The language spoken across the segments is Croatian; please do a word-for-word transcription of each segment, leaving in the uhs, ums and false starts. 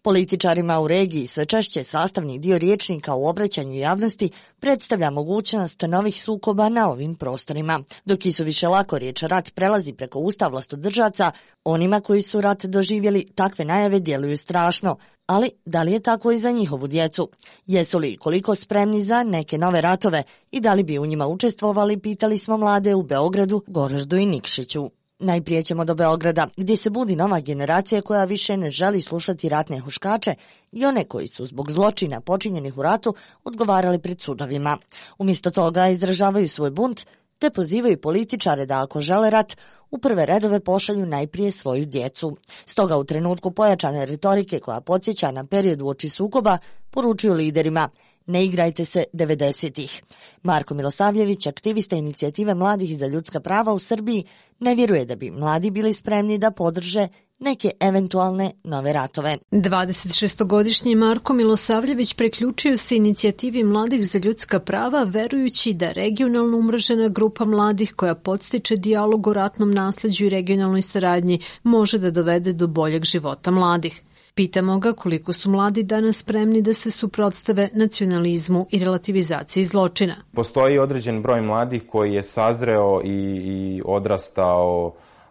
Političarima u regiji sve češće sastavni dio rječnika u obraćanju javnosti predstavlja mogućnost novih sukoba na ovim prostorima. Dok isuviše lako riječ rat prelazi preko usta vlastodržaca, onima koji su rat doživjeli takve najave djeluju strašno. Ali da li je tako i za njihovu djecu? Jesu li koliko spremni za neke nove ratove i da li bi u njima učestvovali, pitali smo mlade u Beogradu, Goraždu i Nikšiću. Najprije ćemo do Beograda, gdje se budi nova generacija koja više ne želi slušati ratne huškače i one koji su zbog zločina počinjenih u ratu odgovarali pred sudovima. Umjesto toga izražavaju svoj bunt te pozivaju političare da ako žele rat, u prve redove pošalju najprije svoju djecu. Stoga u trenutku pojačane retorike koja podsjeća na period uoči sukoba, poručuju liderima: ne igrajte se devedesetih. Marko Milosavljević, aktivista inicijative Mladih za ljudska prava u Srbiji, ne vjeruje da bi mladi bili spremni da podrže neke eventualne nove ratove. dvadesetšestogodišnji Marko Milosavljević preključio se inicijativi Mladih za ljudska prava, verujući da regionalno umrežena grupa mladih koja podstiče dijalog o ratnom nasleđu i regionalnoj saradnji može da dovede do boljeg života mladih. Pitamo ga koliko su mladi danas spremni da se suprotstave nacionalizmu i relativizaciji zločina. Postoji određen broj mladih koji je sazreo i, i odrastao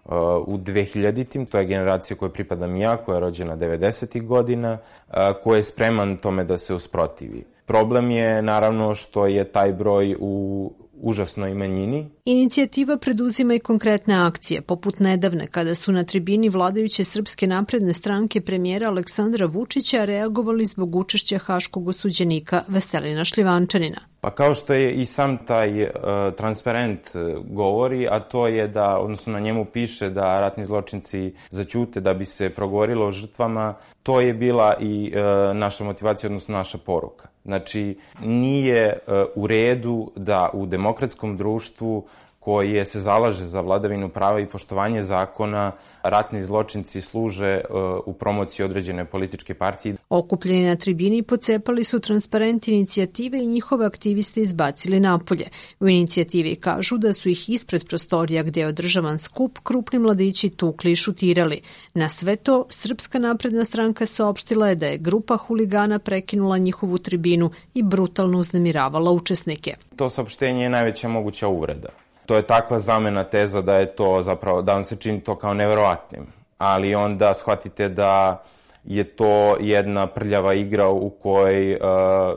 uh, u dvehiljaditim, to je generacija kojoj pripadam ja, koja je rođena devedesetih godina, uh, koja je spreman tome da se usprotivi. Problem je naravno što je taj broj u užasnoj manjini. Inicijativa preduzima i konkretne akcije, poput nedavne kada su na tribini vladajuće Srpske napredne stranke premijera Aleksandra Vučića reagovali zbog učešća haškog osuđenika Veselina Šljivančanina. Pa kao što je i sam taj uh, transparent govori, a to je da, odnosno na njemu piše da ratni zločinci zaćute da bi se progovorilo o žrtvama, to je bila i uh, naša motivacija, odnosno naša poruka. Znači, nije uh, u redu da u demokratskom društvu koje se zalaže za vladavinu prava i poštovanje zakona, ratni zločinci služe uh, u promociji određene političke partije. Okupljeni na tribini pocepali su transparent inicijative i njihove aktiviste izbacili napolje. U inicijativi kažu da su ih ispred prostorija gdje je održavan skup krupni mladići tukli i šutirali. Na sve to, Srpska napredna stranka saopštila je da je grupa huligana prekinula njihovu tribinu i brutalno uznemiravala učesnike. To saopštenje je najveća moguća uvreda. To je takva zamena teza da je to zapravo, da vam se čini to kao neverovatnim. Ali onda shvatite da je to jedna prljava igra u kojoj uh,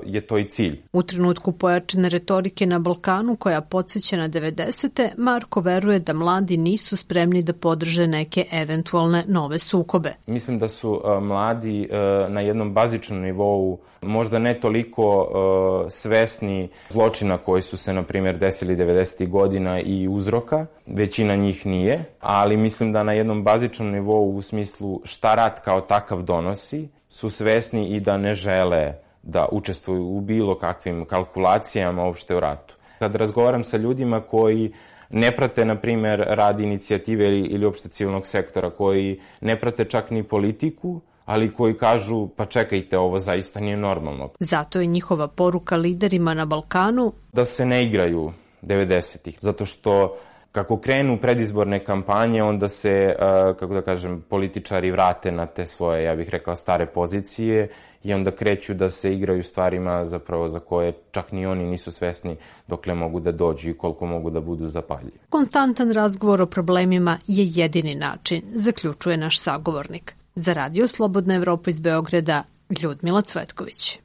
je to i cilj. U trenutku pojačane retorike na Balkanu koja podsjeća na devedesete, Marko veruje da mladi nisu spremni da podrže neke eventualne nove sukobe. Mislim da su uh, mladi uh, na jednom bazičnom nivou možda ne toliko uh, svesni zločina koji su se, na primjer, desili devedesetih godina i uzroka. Većina njih nije, ali mislim da na jednom bazičnom nivou u smislu šta rat kao takav donosi, su svesni i da ne žele da učestvuju u bilo kakvim kalkulacijama uopšte u ratu. Kad razgovaram sa ljudima koji ne prate, na primjer, rad inicijative ili, ili uopšte civilnog sektora, koji ne prate čak ni politiku, ali koji kažu, pa čekajte, ovo zaista nije normalno. Zato je njihova poruka liderima na Balkanu da se ne igraju devedesetih, zato što kako krenu predizborne kampanje, onda se, kako da kažem, političari vrate na te svoje, ja bih rekao, stare pozicije i onda kreću da se igraju stvarima zapravo za koje čak ni oni nisu svesni dokle mogu da dođu i koliko mogu da budu zapaljivi. Konstantan razgovor o problemima je jedini način, zaključuje naš sagovornik. Za Radio Slobodna Evropa iz Beograda, Ljudmila Cvetković.